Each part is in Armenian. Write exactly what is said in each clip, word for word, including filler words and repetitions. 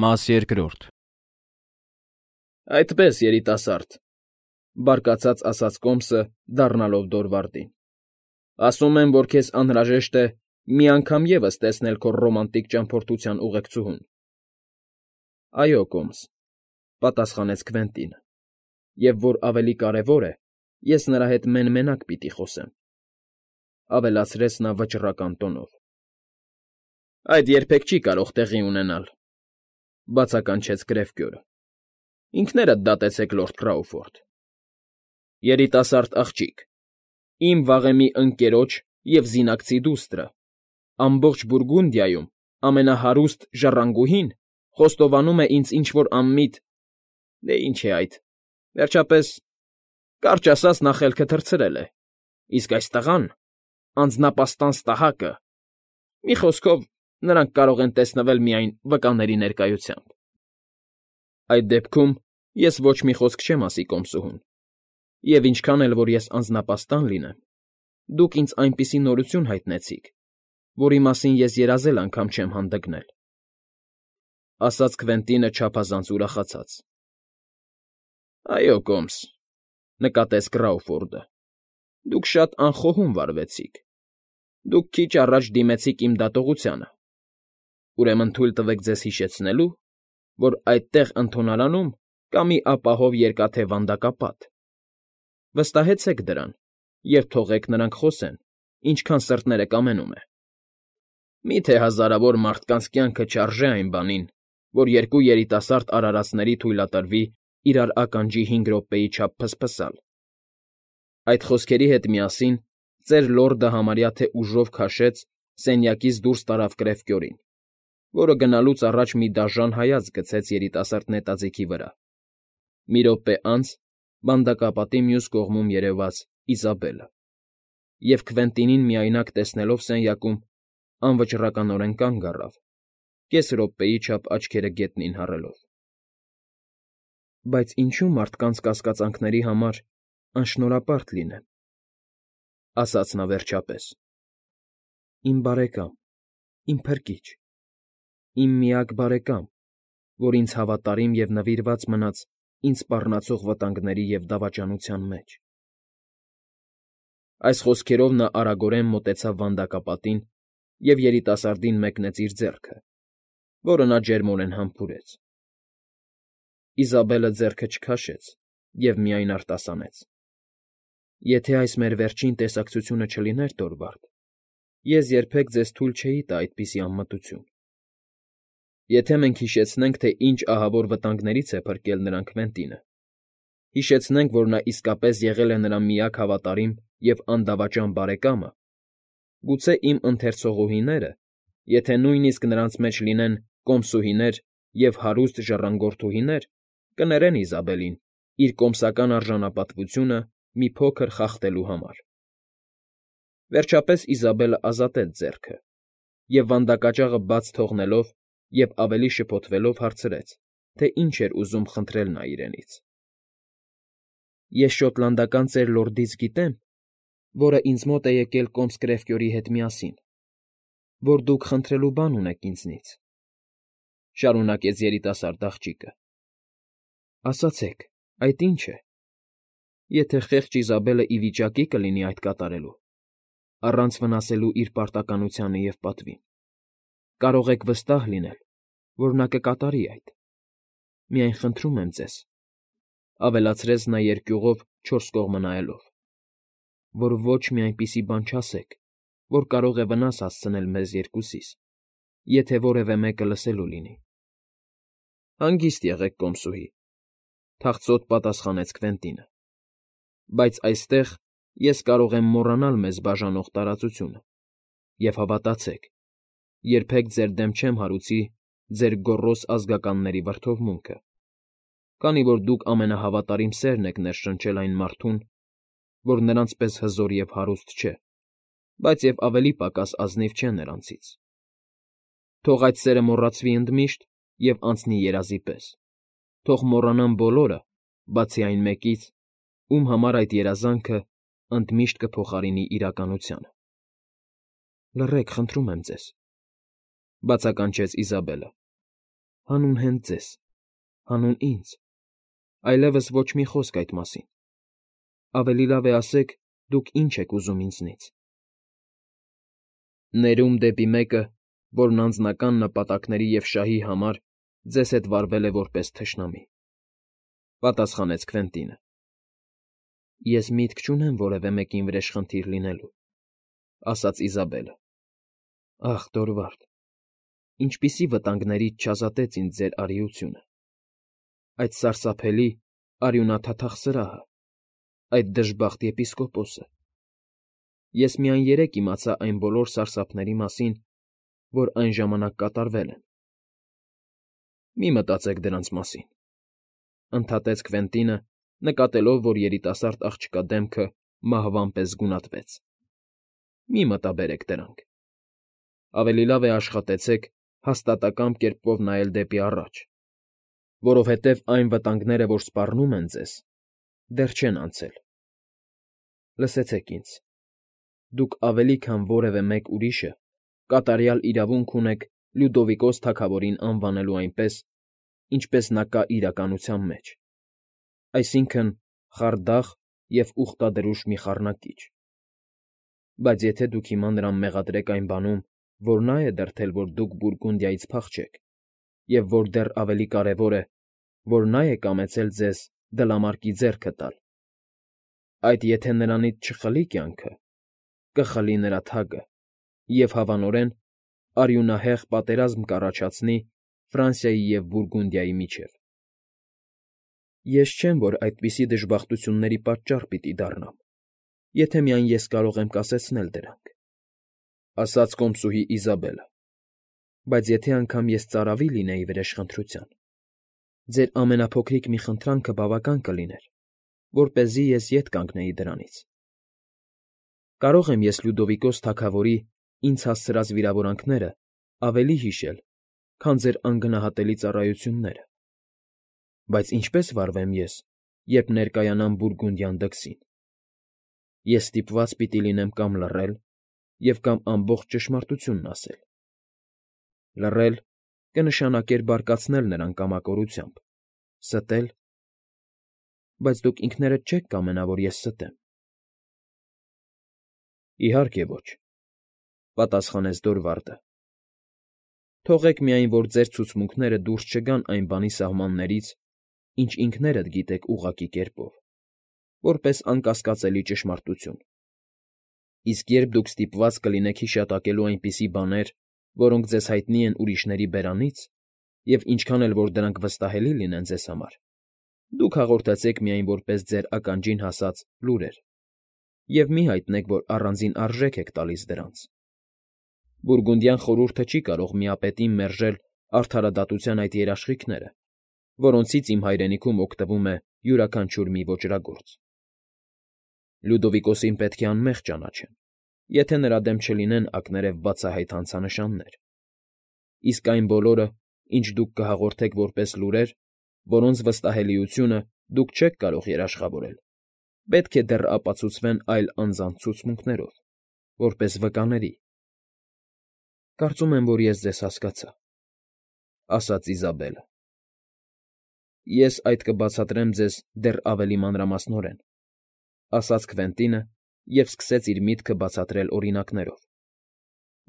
Մաս երկրորդ։ Այդպես, երիտասարդ,֊ բարկացած ասաց Կոմսը, դառնալով Դորվարդին,֊ ասում են, որ քեզ անհրաժեշտ է մի անգամ ևս տեսնել քո ռոմանտիկ ճամփորդության ուղեկցուհուն։ ֊ Այո, Կոմս,֊ պատասխանեց Քվենտինը,֊ և, որ ավելի կարևոր է, ես նրա հետ մեն֊մենակ պիտի խոսեմ,֊ ավելացրեց նա վճռական տոնով։ ֊ Այդ երբեք չի կարող տեղի ունենալ,֊ բացականչեց Գրեֆկյորը։֊ Ինքներդ դատեցեք, լորդ Քրաուֆորդ։ ֊ Երիտասարդ աղջիկ, իմ վաղեմի ընկերոջ և զինակցի դուստրը, ամբողջ Բուրգունդիայում ամենահարուստ ժառանգուհին խոստովանում է ինձ ինչ֊որ անմիտ… Դե ինչ է այդ… Վերջապես, կարճ ասած, նա խելքը թռցրել է, իսկ այս տղան… անձնապաստառն ստահակը… Մի խոսքով, նրանք կարող են տեսնվել միայն վկաների ներկայությամբ։ ֊ Այդ դեպքում ես ոչ մի խոսք չեմ ասի կոմսուհուն, և ինչքան էլ որ ես անձնապաստառն լինեմ, դուք ինձ այնպիսի նորություն հայտնեցիք, որի մասին ես երազել անգամ չեմ հանդգնել,֊ ասաց Քվենտինը չափազանց ուրախացած։ ֊ Այո, Կոմս,֊ նկատեց Կրաուֆորդը,֊ դուք շատ անխոհում վարվեցիք, դուք քիչ առաջ դիմեցիք իմ դատողությանը, ուրեմն թույլ տվեք ձեզ հիշեցնելու, որ այդտեղ ընդունարանում կա մի ապահով երկաթե վանդակապատ… Վստահեցեք դրան և թողեք նրանք խոսեն, ինչքան սրտները կամենում է… Մի՞թե հազարավոր մարդկանց կյանքը չարժե այն բանին, որ երկու երիտասարդ արարածների թույլատրվի իրար ականջի հինգ րոպեի չափ փսփսալ… Այդ խոսքերի հետ միասին ծեր լորդը համարյա թե ուժով քաշեց, սենյակից դուրս տարավ Կրեֆկյորին, որը գնալուց առաջ մի դաժան հայացք գցեց երիտասարդ նետաձիգի վրա, մի րոպե անց վանդակապատի մյուս կողմում երևաց Իզաբելը, և Քվենտինին միայնակ տեսնելով սենյակում, անվճռականորեն կանգ առավ, կես րոպեի չափ աչքերը գետնին հառելով։ ֊ Բայց ինչո՞ւ մարդկանց կասկածանքների համար անշնորհապարտ լինեմ,֊ ասաց նա վերջապես,֊ իմ բարեկամ, իմ փրկիչ, իմ միակ բարեկամ, որ ինձ հավատարիմ և նվիրված մնաց ինձ սպառնացող վտանգների և դավաճանության մեջ… Այս խոսքերով նա արագորեն մոտեցավ վանդակապատին և երիտասարդին մեկնեց իր ձեռքը, որը նա ջերմորեն համբուրեց։ Իզաբելը ձեռքը չքաշեց և միայն արտասանեց. ֊ Եթե այս մեր վերջին տեսակցությունը չլիներ, Դորվարդ, ես երբեք ձեզ թույլ չէի տա այդպիսի անմտություն… Եթե մենք հիշեցնենք, թե ինչ ահավոր վտանգներից է փրկել նրան Քվենտինը, հիշեցնենք, որ նա իսկապես եղել է նրա միակ հավատարիմ և անդավաճան բարեկամը, գուցե իմ ընթերցողուհիները, եթե նույնիսկ նրանց մեջ լինեն կոմսուհիներ և հարուստ ժառանգորդուհիներ, կներեն Իզաբելին իր կոմսական արժանապատվությունը մի փոքր խախտելու համար… Վերջապես Իզաբելը ազատեց ձեռքը և, վանդակաճաղը բաց թողնելով և ավելի շփոթվելով, հարցրեց, թե ինչ էր ուզում խնդրել նա իրենից։ ֊ Ես շոտլանդական ծեր լորդից գիտեմ, որը ինձ մոտ է եկել կոմս Կրեֆկյորի հետ միասին, որ դուք խնդրելու բան ունեք ինձնից,֊ շարունակեց երիտասարդ աղջիկը։ ֊ Ասացեք, այդ ի՞նչ է… Եթե խեղճ Իզաբելը ի վիճակի կլինի այդ կատարելու, առանց վնասելու իր պարտականությանը և պատվին, կարող եք վստահ լինել, որ նա կկատարի այդ… Միայն խնդրում եմ ձեզ,֊ ավելացրեց նա երկյուղով չորս կողմը նայելով,֊ որ ոչ մի այնպիսի բան չասեք, որ կարող է վնաս հասցնել մեզ երկուսիս, եթե որևէ մեկը լսելու լինի։ ֊ Հանգիստ եղեք, կոմսուհի,֊ թախծոտ պատասխանեց Քվենտինը,֊ բայց այստեղ ես կարող եմ մոռանալ մեզ բաժանող տարածությունը, և հավատացեք, երբեք ձեր դեմ չեմ հարուցի ձեր գոռոզ ազգականների վրդովմունքը, քանի որ դուք ամենահավատարիմ սերն եք ներշնչել այն մարդուն, որ նրանց պես հզոր և հարուստ չէ, բայց և ավելի պակաս ազնիվ չէ նրանցից… Թող այդ սերը մոռացվի ընդմիշտ և անցնի երազի պես, թող մոռանան բոլորը, բացի այն մեկից, ում համար այդ երազանքը ընդմիշտ կփոխարինի իրականությանը… ֊ Լռեք, խնդրում եմ ձեզ,֊ բացականչեց Իզաբելը։ Հանուն հենց ձեզ, հանուն ինձ, այլևս ոչ մի խոսք այդ մասին, ավելի լավ է ասեք, դուք ինչ եք ուզում ինձնից։ Ներում դեպի մեկը, որն անձնական նպատակների և շահի համար ձեզ հետ վարվել է որպես թշնամի,֊ պատասխանեց Քվենտինը։ Ես միտք չունեմ որևէ մեկին վրեժխնդիր լինելու,֊ ասաց Իզաբելը։ Ախ, Դորվարդ, ինչպիսի վտանգներից չազատեց ինձ ձեր արիությունը, այդ սարսափելի արյունաթաթախ սրահը, այդ դժբախտ եպիսկոպոսը… Ես միայն երեկ իմացա այն բոլոր սարսափների մասին, որ այն ժամանակ կատարվել են։ Մի մտածեք դրանց մասին,֊ ընդհատեց Քվենտինը, նկատելով, որ երիտասարդ աղջկա դեմքը մահվան պես գունատվեց։ Մի մտաբերեք դրանք… Ավելի լավ է աշխատեցեք հաստատակամ կերպով նայել դեպի առաջ, որովհետև այն վտանգները, որ սպառնում են ձեզ, դեռ չեն անցել։ Լսեցեք ինձ. դուք ավելի քան որևէ մեկ ուրիշը կատարյալ իրավունք ունեք Լյուդովիկոս թագավորին անվանելու այնպես, ինչպես նա կա իրականության մեջ, այսինքն՝ խարդախ և ուխտադրուժ մի խառնակիչ։ Բայց եթե դուք հիմա նրան մեղադրեք այն բանում, որ նա է դրդել, որ դուք Բուրգունդիայից փախչեք, և որ դեռ ավելի կարևոր է, որ նա է կամեցել ձեզ դլամարկի ձեռքը տալ, այդ եթե նրանից չխլի կյանքը, կխլի նրա թագը և, հավանորեն, արյունահեղ պատերազմ կառաջացնի Ֆրանսիայի և Բուրգունդիայի միջև։ Ես չեմ, որ այդպիսի դժբախտությունների պատճառ պիտի դառնամ, եթե միայն ես կարող եմ կասեցնել դրանք,֊ ասաց կոմսուհի Իզաբելը,֊ բայց եթե անգամ ես ծարավի լինեի վրեժխնդրության, ձեր ամենափոքրիկ մի խնդրանքը բավական կլիներ, որպեսզի ես ետ կանգնեի դրանից։ Կարող եմ ես Լյուդովիկոս թագավորի ինձ հասցրած վիրավորանքները ավելի հիշել, քան ձեր անգնահատելի ծառայությունները, բայց ինչպե՞ս վարվեմ ես, երբ ներկայանամ Բուրգունդյան դքսին։ Ես ստիպված պիտի լինեմ կամ լռել և կամ ամբողջ ճշմարտությունն ասել։ Լռել կնշանակեր բարկացնել նրան կամակորությամբ, ստել… Բայց դուք ինքներդ չե՞ք կամենա, որ ես ստեմ։ Իհարկե ոչ,֊ պատասխանեց Դորվարդը։ Թողեք միայն, որ ձեր ցուցմունքները դուրս չգան այն բանի սահմաններից, ինչ ինքներդ գիտեք ուղղակի կերպով, որպես անկասկածելի ճշմարտություն։ Իսկ երբ դուք ստիպված կլինեք հիշատակելու այնպիսի բաներ, որոնք ձեզ հայտնի են ուրիշների բերանից, և ինչքան էլ որ դրանք վստահելի լինեն ձեզ համար, դուք հաղորդեցեք միայն որպես ձեր ականջին հասած լուրեր և մի հայտնեք, որ առանձին արժեք եք տալիս դրանց։ Բուրգունդյան խորհուրդը չի կարող միապետին մերժել արդարադատության այդ երաշխիքները, որոնցից իմ հայրենիքում օգտվում է յուրաքանչյուր մի ոճրագործ։ Լյուդովիկոսին պետք է անմեղ ճանաչեն, եթե նրա դեմ չլինեն ակներև բացահայտ հանցանշաններ, իսկ այն բոլորը, ինչ դուք կհաղորդեք որպես լուրեր, որոնց վստահելիությունը դուք չեք կարող երաշխավորել, պետք է դեռ ապացուցվեն այլ անձանց ցուցմունքներով, որպես վկաների։ Կարծում եմ, որ ես ձեզ հասկացա,֊ ասաց Իզաբելը։ Ես այդ կբացատրեմ ձեզ դեռ ավելի մանրամասնորեն,֊ ասաց Քվենտինը և սկսեց իր միտքը բացատրել օրինակներով։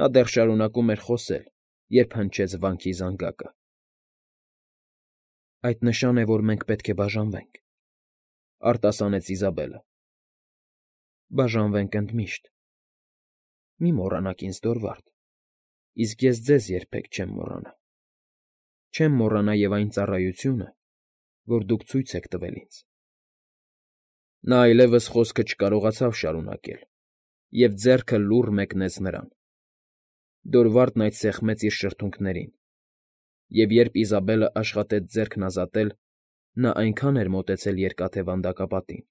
Նա դեռ շարունակում էր խոսել, երբ հնչեց վանքի զանգակը։ Այդ նշան է, որ մենք պետք է բաժանվենք,֊ արտասանեց Իզաբելը։ Բաժանվենք ընդմիշտ։ Մի մոռանաք ինձ, Դորվարդ, իսկ ես ձեզ երբեք չեմ մոռանա։ Չեմ մոռանա և այն ծառայությունը, որ դուք ցույց եք տվել ինձ… Նա այլևս խոսքը չկարողացավ շարունակել և ձեռքը լուռ մեկնեց նրան։ Դորվարդն այդ սեղմեց իր շրթունքներին, և երբ Իզաբելը աշխատեց ձեռքն ազատել, նա այնքան էր մոտեցել Երկաթե Վանդակապատին,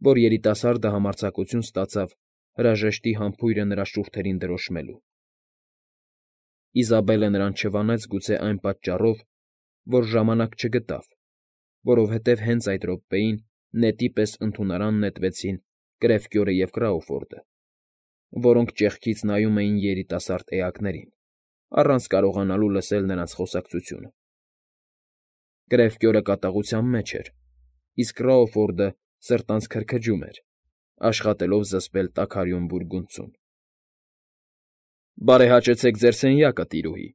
որ երիտասարդը համարձակություն ստացավ հրաժեշտի համբույրը նրա շուրթերին դրոշմելու։ Իզաբելը նրան չվանեց գուցե այն պատճառով, որ ժամանակ չգտավ, որովհետև հենց այդ րոպեին նետի պես ընդունարան նետվեցին Կրևկյորը և Կրաուֆորդը, որոնք ճեղքից նայում էին երիտասարդ էակներին, առանց կարողանալու լսել նրանց խոսակցությունը։ Կրևկյորը կատաղության մեջ էր, իսկ Ռաուֆորդը սրտանց քրքջում էր, աշխատելով զսպել տաքարյուն բուրգունդցուն։ ֊ Բարեհաճեցեք ձեր սենյակը, տիրուհի,֊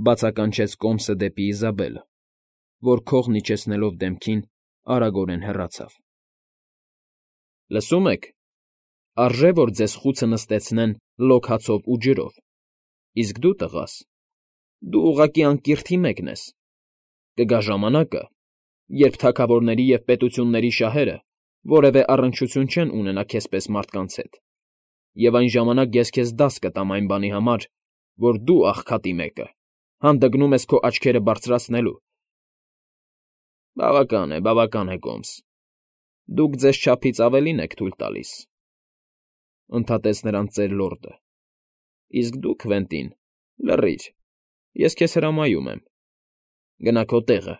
բացականչեց կոմսը դեպի Իզաբելը, որ քողն իջեցնելով դեմքին արագորեն հեռացավ։ ֊ Լսում եք, արժե որ ձեզ խուցը նստեցնեն լոկ հացով ու ջրով, իսկ դու, տղաս, դու ուղղակի անկիրթի մեկն ես, կգա ժամանակը, երբ թագավորների և պետությունների շահերը որևէ առնչություն չեն ունենա քեզպես մարդկանց հետ, և այն ժամանակ ես քեզ դաս կտամ այն բանի համար, որ դու, աղքատի մեկը, հանդգնում ես քո աչքերը բարձրացնելու։ ֊ Բավական է, բավական է, կոմս, դուք ձեզ չափից ավելին եք թույլ տալիս,֊ ընդհատեց նրան ծեր լորդը,֊ իսկ դու, Քվենտին, լռիր, ես քեզ հրամայում եմ, գնա քո տեղը,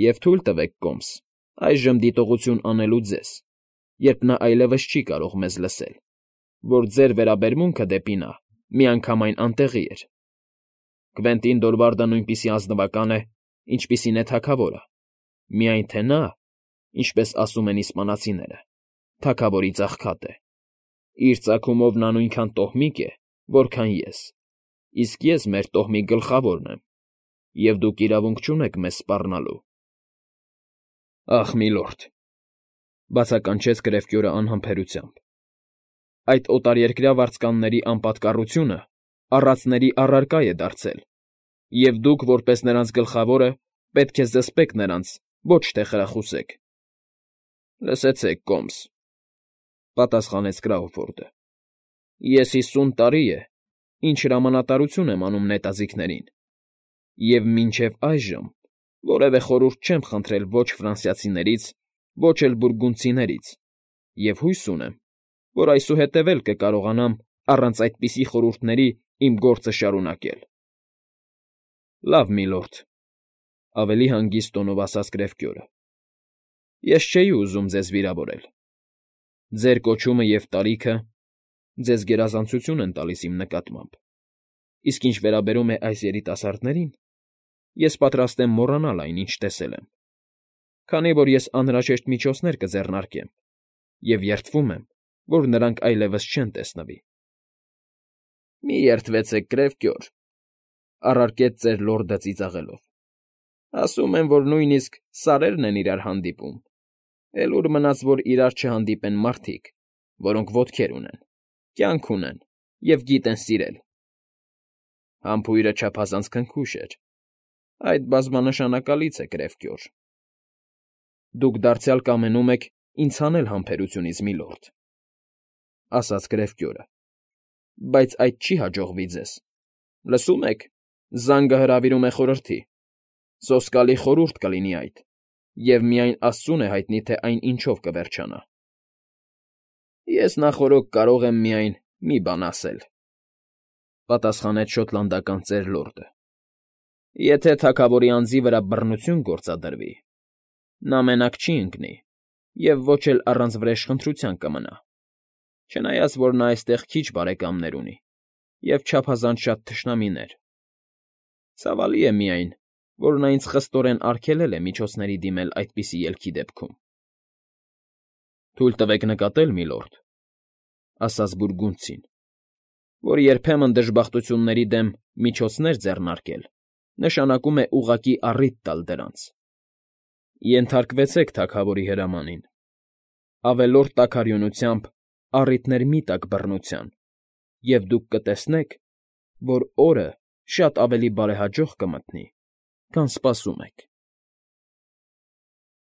և թույլ տվեք, կոմս, այժմ դիտողություն անելու ձեզ, երբ նա այլևս չի կարող մեզ լսել, որ ձեր վերաբերմունքը դեպի նա միանգամայն անտեղի էր. Քվենտին Դոլբարդը նույնպիսի ազնվական է, ինչպիսին է թագավորը, միայն թե նա, ինչպես ասում են իսպանացիները, թագավորից աղքատ է, իր ծագումով նա նույնքան տոհմիկ է, որքան ես, իսկ ես մեր տոհմի գլխավորն եմ, և դուք իրավունք չունեք մեզ սպառնալու։ ֊ Ախ, միլորդ,֊ բացականչեց Կրևկյորը անհամբերությամբ,֊ այդ օտարերկրյա վարձկանների անպատկառությունը առածների առարկա է դարձել, և դուք, որպես նրանց գլխավորը, պետք է զսպեք նրանց, ոչ թե խրախուսեք։ ֊ Լսեցեք, կոմս,֊ պատասխանեց Կրաուֆորդը,֊ ես հիսուն տարի է, ինչ հրամանատարություն եմ անում նետաձիգներին, և մինչև այժմ որևէ խորհուրդ չեմ խնդրել ոչ ֆրանսիացիներից, ոչ էլ բուրգունդցիներից, և հույս ունեմ, որ այսուհետև էլ կկարողանամ առանց այդպիսի խորհուրդների իմ գործը շարունակել։ ֊ Լավ, միլորդ,֊ ավելի հանգիստ տոնով ասաց Կրևկյորը,֊ ես չէի ուզում ձեզ վիրավորել. ձեր կոչումը և տարիքը ձեզ գերազանցություն են տալիս իմ նկատմամբ, իսկ ինչ վերաբերում է այս երիտասարդներին, ես պատրաստ եմ մոռանալ այն, ինչ տեսել եմ, քանի որ ես անհրաժեշտ միջոցներ կձեռնարկեմ և երդվում եմ, որ նրանք այլևս չեն տեսնվի։ ֊ Մի երդվեցեք, Կրևկյոր,֊ առարկեց ծեր լորդը ծիծաղելով,֊ ասում են, որ նույնիսկ սարերն են իրար հանդիպում, էլ ուր մնաց, որ իրար չհանդիպեն մարդիկ, որոնք ոտքեր ունեն, կյանք ունեն և գիտեն սիրել։ Համբույրը չափազանց քնքուշ էր, այդ բազմանշանակալից է, Կրևկյոր։ ֊ Դուք դարձյալ կամենում եք ինձ հանել համբերությունից, միլորդ,֊ ասաց Կրևկյորը,֊ բայց այդ չի հաջողվի ձեզ։ Լսում եք, զանգը հրավիրում է խորհրդի, սոսկալի խորհուրդ կլինի այդ, և միայն աստծուն է հայտնի, թե այն ինչով կվերջանա։ ֊ Ես նախօրոք կարող եմ միայն մի բան ասել,֊ պատասխանեց շոտլանդական ծեր լորդը,֊ եթե թագավորի անձի վրա բռնություն գործադրվի, նա մենակ չի ընկնի և ոչ էլ առանց վրեժխնդրության կմնա, չնայած որ նա այստեղ քիչ բարեկամներ ունի և չափազանց շատ թշնամիներ. ցավալի է միայն, որ նա ինձ խստորեն արգելել է միջոցների դիմել այդպիսի ելքի դեպքում։ ֊ Թույլ տվեք նկատել, միլորդ,֊ ասաց բուրգունդցին,֊ որ երբեմն դժբախտությունների դեմ միջոցներ ձեռնարկել նշանակում է ուղղակի առիթ տալ դրանց։ Ենթարկվեցեք թագավորի հրամանին, ավելորդ տաքարյունությամբ առիթներ մի տաք բռնության, և դուք կտեսնեք, որ օրը շատ ավելի բարեհաջող կմտնի, քան սպասում եք։